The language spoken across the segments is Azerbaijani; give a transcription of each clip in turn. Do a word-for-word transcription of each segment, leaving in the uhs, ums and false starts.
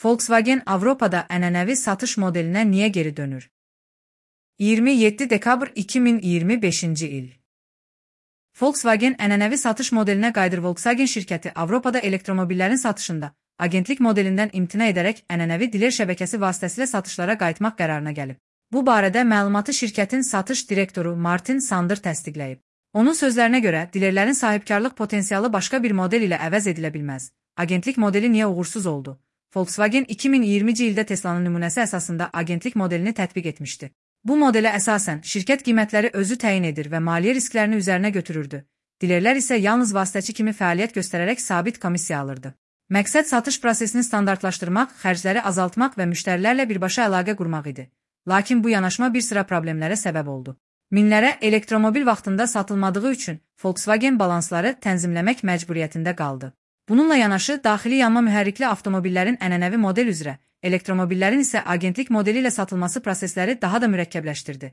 Volkswagen Avropada ənənəvi satış modelinə niyə geri dönür? iyirmi yeddi dekabr iki min iyirmi beşinci il. Volkswagen ənənəvi satış modelinə qayıdır. Volkswagen şirkəti Avropada elektromobillərin satışında agentlik modelindən imtina edərək ənənəvi diler şəbəkəsi vasitəsilə satışlara qayıtmaq qərarına gəlib. Bu barədə məlumatı şirkətin satış direktoru Martin Sander təsdiqləyib. Onun sözlərinə görə, dilerlərin sahibkarlıq potensialı başqa bir model ilə əvəz edilə bilməz. Agentlik modeli niyə uğursuz oldu? Volkswagen iki min iyirminci ildə Teslanın nümunəsi əsasında agentlik modelini tətbiq etmişdi. Bu modelə əsasən şirkət qiymətləri özü təyin edir və maliyyə risklərini üzərinə götürürdü. Dilerlər isə yalnız vasitəçi kimi fəaliyyət göstərərək sabit komissiya alırdı. Məqsəd satış prosesini standartlaşdırmaq, xərcləri azaltmaq və müştərilərlə birbaşa əlaqə qurmaq idi. Lakin bu yanaşma bir sıra problemlərə səbəb oldu. Minlərə elektromobil vaxtında satılmadığı üçün Volkswagen balansları tənzimləmək məcburiyyətində qaldı. Bununla yanaşı, daxili yanma mühərrikli avtomobillərin ənənəvi model üzrə, elektromobillərin isə agentlik modeli ilə satılması prosesləri daha da mürəkkəbləşdirdi.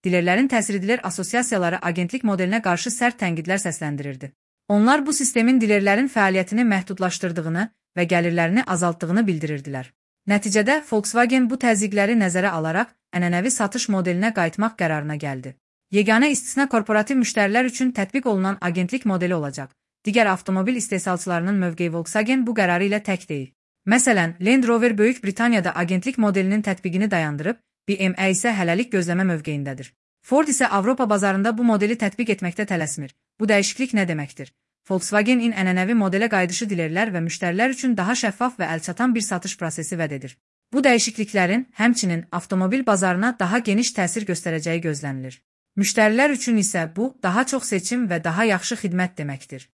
Dilerlərin təsir edilir asosiasiyaları agentlik modelinə qarşı sərt tənqidlər səsləndirirdi. Onlar bu sistemin dilerlərin fəaliyyətini məhdudlaşdırdığını və gəlirlərini azaltdığını bildirirdilər. Nəticədə Volkswagen bu təzyiqləri nəzərə alaraq ənənəvi satış modelinə qayıtmaq qərarına gəldi. Yeganə istisna korporativ müştərilər üçün tətbiq olunan agentlik modeli olacaq. Digər avtomobil istehsalçılarının mövqeyi Volkswagen bu qərarı ilə tək deyil. Məsələn, Land Rover Böyük Britaniyada agentlik modelinin tətbiqini dayandırıb, B M W isə hələlik gözləmə mövqeyindədir. Ford isə Avropa bazarında bu modeli tətbiq etməkdə tələsmir. Bu dəyişiklik nə deməkdir? Volkswagen-in ənənəvi modelə qayıdışı dilerlər və müştərilər üçün daha şəffaf və əlçatan bir satış prosesi vəd edir. Bu dəyişikliklərin həmçinin avtomobil bazarına daha geniş təsir göstərəcəyi gözlənilir. Müştərilər üçün isə bu, daha çox seçim və daha yaxşı xidmət deməkdir.